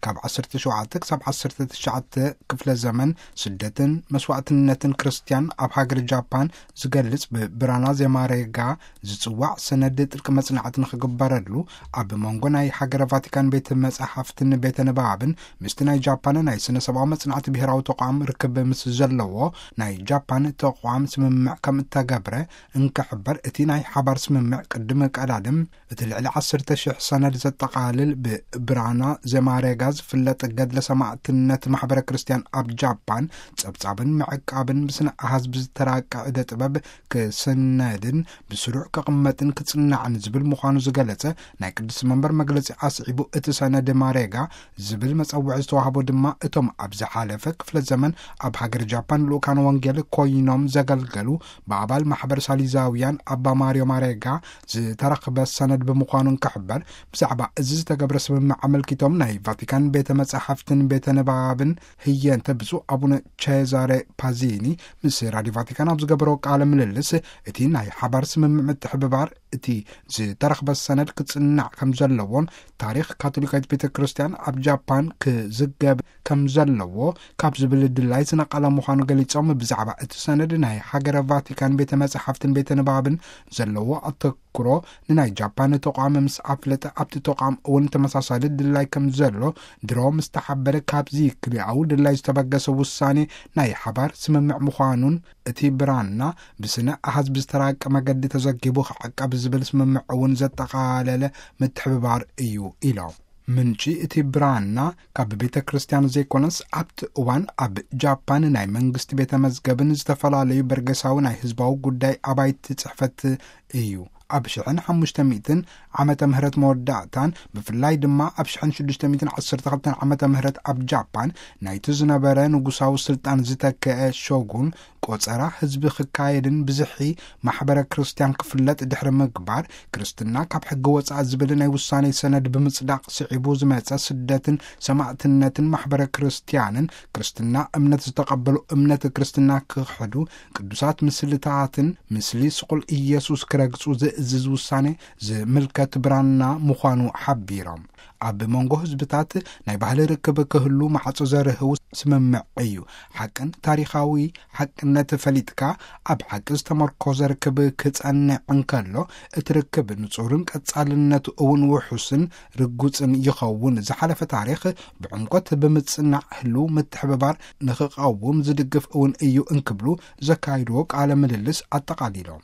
ካብ ዓሰርተ ሸውዓተ ክሳብ ዓሰርተ ትሽዓተ ክፍለ ዘመን ስደትን መስዋዕትነትን ክርስትያን ኣብ ሃገር ጃፓን ዝገልጽ ብብራና ዜማሬጋ ዝጽዋዕ ሰነድ ጥልቂ መጽናዕቲ ንኽግበረሉ፣ ኣብ መንጎ ናይ ሃገረ ቫቲካን ቤተ መጻሕፍትን ቤተ ንባብን ምስቲ ናይ ጃፓን ናይ ስነ ሰብኣዊ መጽናዕቲ ብሔራዊ ተቋም ርክብ ምስ ዘለዎ፣ ናይ ጃፓን ተቋም ስምምዕ ከም እተገብረ እንክሕበር፣ እቲ ናይ ሓባር ስምምዕ ቅድሚ ቀዳድም እቲ ልዕሊ ዓሰርተ ሽሕ ሰነድ ዘጠቓልል ብብራና ዜማሬጋ ዝፍለጥ ገድለ ሰማዕትነት ማሕበረ ክርስትያን ኣብ ጃፓን ጸብጻብን ምዕቃብን ብስነ ኣሃዝ ብዝተራቀ ዕደ ጥበብ ክስነድን ብስሩዕ ክቕመጥን ክጽናዕን ዝብል ምዃኑ ዝገለጸ ናይ ቅዱስ መንበር መግለጺ ኣስዒቡ፣ እቲ ሰነድ ማሬጋ ዝብል መጸውዒ ዝተዋህቦ ድማ እቶም ኣብ ዝሓለፈ ክፍለ ዘመን ኣብ ሃገር ጃፓን ልኡካን ወንጌል ኮይኖም ዘገልገሉ ብኣባል ማሕበር ሳሊዛውያን ኣባ ማርዮ ማሬጋ ዝተረኽበ ሰነድ ብምዃኑ እንክሕበር፣ ብዛዕባ እዚ ዝተገብረ ስምምዕ ኣመልኪቶም ናይ ቫቲካን ቤተ መጻሕፍትን ቤተ ንባብን ህየንተ ብፁዕ ኣቡነ ቼዛሬ ፓዚኒ ምስ ራዲዮ ቫቲካን ኣብ ዝገበሮ ቃለ ምልልስ፣ እቲ ናይ ሓባር ስምምዕ ምትሕብባር እቲ ዝተረኽበ ሰነድ ክጽናዕ ከም ዘለዎን ታሪኽ ካቶሊካዊት ቤተ ክርስቲያን ኣብ ጃፓን ክዝገብ ከም ዘለዎ ካብ ዝብል ድላይ ዝነቐለ ምዃኑ ገሊጾም፣ ብዛዕባ እቲ ሰነድ ናይ ሃገረ ቫቲካን ቤተ መጻሕፍትን ቤተ ንባብን ዘለዎ ኣተኩሮ ንናይ ጃፓን ተቋም ምስ ኣፍለጠ፣ ኣብቲ ተቋም እውን ተመሳሳሊ ድላይ ከም ዘሎ ድሮ ምስ ተሓበረ፣ ካብዚ ክልኣዊ ድላይ ዝተበገሰ ውሳኔ ናይ ሓባር ስምምዕ ምዃኑን እቲ ብራና ብስነ ኣሃዝ ብዝተራቀ መገዲ ተዘጊቡ ክዕቀብ ዝብል ስምምዕ እውን ዘጠቓለለ ምትሕብባር እዩ ኢሎም። ምንጪ እቲ ብራና ካብ ቤተ ክርስቲያን ዘይኮነስ፣ ኣብቲ እዋን ኣብ ጃፓን ናይ መንግስቲ ቤተ መዝገብን ዝተፈላለዩ በርገሳዊ ናይ ህዝባዊ ጉዳይ ኣባይቲ ጽሕፈት እዩ። ኣብ ሽሕን ሓሙሽተ ሚእትን ዓመተ ምህረት መወዳእታን፣ ብፍላይ ድማ ኣብ ሽሕን ሽዱሽተ ሚእትን ዓሰርተ ክልተን ዓመተ ምህረት ኣብ ጃፓን ናይቲ ዝነበረ ንጉሳዊ ስልጣን ዝተከአ ሾጉን ቆጸራ ህዝቢ ክካየድን ብዝሒ ማሕበረ ክርስቲያን ክፍለጥ ድሕሪ ምግባር፣ ክርስትና ካብ ሕጊ ወጻኢ ዝብል ናይ ውሳኔ ሰነድ ብምጽዳቕ ስዒቡ ዝመጸ ስደትን ሰማዕትነትን ማሕበረ ክርስቲያንን፣ ክርስትና እምነት ዝተቐበሉ እምነት ክርስትና ክኽሕዱ፣ ቅዱሳት ምስልታትን ምስሊ ስቑል ኢየሱስ ክረግጹ ዝእዝዝ ውሳኔ ዝምልከት ብራና ምዃኑ ሓቢሮም። ኣብ መንጎ ህዝብታት ናይ ባህሊ ርክብ ክህሉ ማዕጾ ዘርህው ስምምዕ እዩ። ሓቅን ታሪኻዊ ሓቅነት ፈሊጥካ ኣብ ሓቂ ዝተመርኮዘ ርክብ ክጸንዕ እንከሎ፣ እቲ ርክብ ንጹርን ቀጻልነቱ እውን ውሑስን ርጉጽን ይኸውን። ዝሓለፈ ታሪኽ ብዕምቆት ብምጽናዕ ህልው ምትሕብባር ንኽቐውም ዝድግፍ እውን እዩ እንክብሉ ዘካይድዎ ቃለ ምልልስ ኣጠቓሊሎም።